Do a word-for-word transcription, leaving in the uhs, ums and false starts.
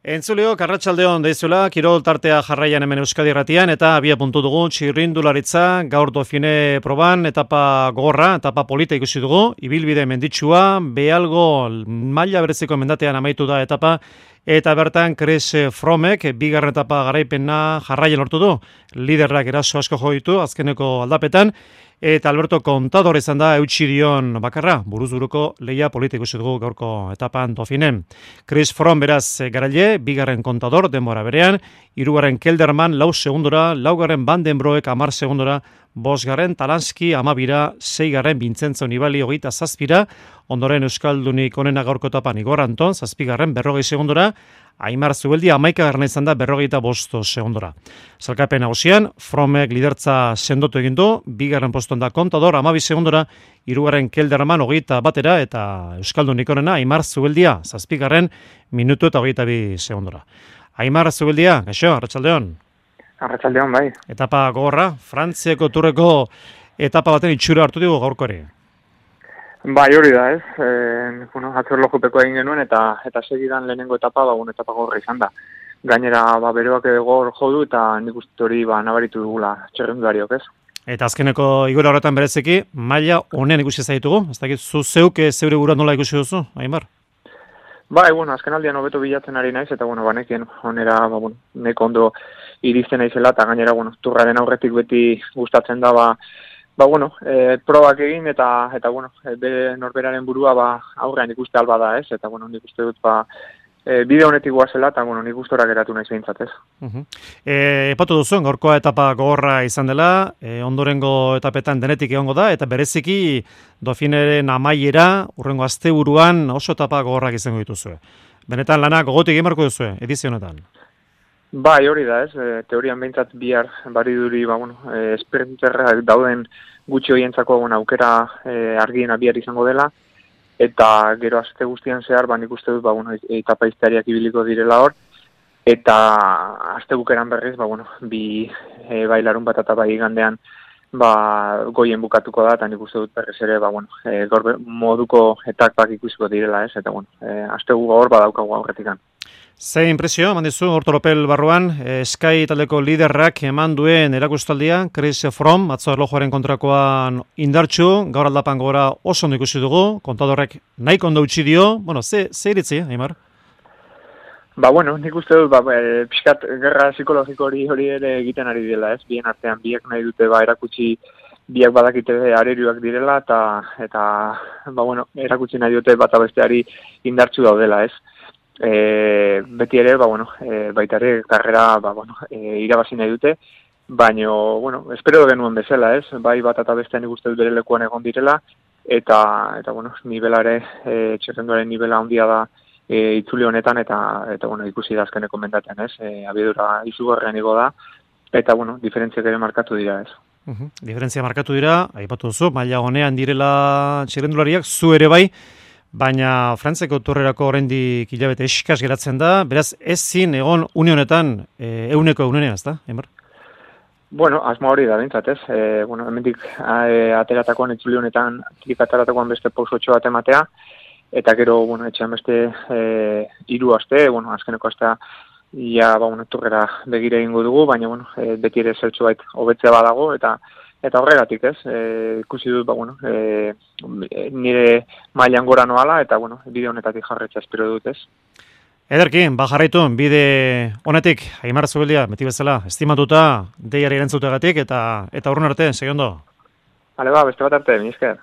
Entzuleo, Arratsaldeon deizuela, kirol tartea jarraian hemen Euskadi Irratian eta abia puntu dugu txirrindularitza gaur Dofine proban, etapa gogorra, etapa polita ikusi dugu, ibilbide menditsua, behalgo maila bereziko mendatean amaitu da etapa, eta bertan Chris Frommek bigarren etapa garaipena jarraian lortu du, liderrak eraso asko jo ditu azkeneko aldapetan, eta Alberto Contador izan da eutsi dion bakarra, buruz-buruko lehia polita ikusi dugu gaurko etapan Dofinen. Chris Fromm beraz garaile, bigarren Contador denbora berean, hirugarren Kelderman lau segundora, laugarren Van den Broek hamar segundora, bosgarren Talanski amabira, seigarren Vincenzo Nibali hogeita zazpira, ondoren Euskaldunik onena gaurko etapan Igor Anton, zazpigarren berrogei segundora, Aimar Zubeldia amaikagarren izan da berrogeita bosto segundora. Zalkapen nagusian, Frommek lidertza sendotu egin du, bigarren poston da Contador amabi segundora, hirugarren Kelderman hogeita batera eta Euskaldunik onena Aimar Zubeldia zazpigarren minutu eta hogeita bi segundora. Aimar Zubeldia, gaixo, arratsaldeon. Arratsaldeon, bai. Etapa gogorra, Frantziako turreko etapa baten itxura hartu dugu gaurko ere. Bai, hori da, ez. E, bueno, atzor lojupeko egin genuen eta eta segidan lehenengo etapa, ba, bueno, etapa gogorra izan da. Gainera, ba, beroak gogor jo du eta nik uste hori ba, nabaritu dugula txerrendulariok, ez. Eta azkeneko igora horretan berezeki, maila honen ikusi zaitugu? Ez dakit, zu zeuk zeure gura nola ikusi duzu, Aimar? Bai, bueno, azken aldian hobeto bilatzen ari naiz, eta, bueno, banekien honera, ba, bueno, neko ondo iristen naizela, eta gainera, bueno, turraren aurretik beti gustatzen da, ba, Ba, bueno, e, probak egin eta, eta bueno, bere norberaren burua ba, aurrean ikuste alba da, ez? Eta, bueno, nik uste dut, ba, e, bide honetik guazela, eta, bueno, nik ustora geratu nahi zeintzat, ez? Uh-huh. E, epatu duzu, gaurkoa etapa gogorra izan dela, e, ondorengo etapetan denetik egongo da, eta bereziki Dauphineren amaiera, urrengo asteburuan oso etapa gogorrak izango dituzue. Benetan lanak gogotik egin marko duzue, edizio honetan. Bai, hori da, ez, e, teorian behintzat bihar bariduri, ba, bueno, e, sprinterrak dauden gutxi horientzako bueno, aukera e, argiena bihar izango dela, eta gero aste guztian zehar, ba, nik uste dut, ba, bueno, etapa iztariak ibiliko direla hor, eta aste bukeran berriz, ba, bueno, bi e, bailarun bat eta bai igandean, ba, goien bukatuko da, eta nik uste dut berriz ere, ba, bueno, e, gorbe, moduko etapak ikusiko direla, ez, eta, bueno, e, aste gu hor badaukagu aurretikan. Ze impresio, eman dizu, Ortoropel barruan, eh, Sky taldeko liderrak eman duen erakustaldia, Chris Fromm, atzo erlojuaren kontrakoan indartxu, gaur aldapan gora oso ondo ikusi dugu, Kontadorrek nahi kondo utzi dio, bueno, ze, ze iritzi, Aimar? Ba, bueno, nik uste dut, ba, e, pixkat gerra psikologiko hori hori ere egiten ari dela, ez? Bien artean, biak nahi dute, ba, erakutsi, biak badakite arerioak direla, eta, eta ba, bueno, erakutsi nahi dute bat abesteari indartxu daudela, ez? E, beti ere, ba, bueno, e, baita ere, karrera, ba, bueno, e, irabazi nahi dute, baina, bueno, espero genuen bezala, ez? Bai bat eta bestean ikuste dut bere lekuan egon direla, eta, eta bueno, nivela ere, e, txerrenduaren nivela handia da e, itzuli honetan, eta, eta bueno, ikusi da azkeneko mendatean, ez? E, abiedura izugarrean igo da, eta, bueno, diferentziak ere markatu dira, ez? Uhum. Diferentzia markatu dira, aipatu duzu, maila honean direla txirrendulariak, zu ere bai, baina Frantziako turrerako oraindik hilabete eskas geratzen da, beraz ezin egon une honetan e, euneko eunenea, ezta, Aimar? Bueno, asmo hori da bintzat, ez? E, bueno, hemendik e, ateratakoan itzuli honetan, atrik ateratakoan beste pausotxo bat ematea, eta gero, bueno, etxean beste e, hiru aste, bueno, azkeneko astea, ia, ba, bueno, turrera begire egingo dugu, baina, bueno, e, beti ere zertxo bait hobetzea badago, eta Eta horregatik, ez, e, ikusi dut, ba, bueno, e, nire mailan gora noala, eta, bueno, bide honetatik jarretza espero dut, ez. Ederki, ba jarraitu, bide honetik, Aimar Zubeldia, beti bezala, estimatuta, deiari erantzutegatik, eta eta urrun arte, segi ondo. Hale ba, beste bat arte, mi esker.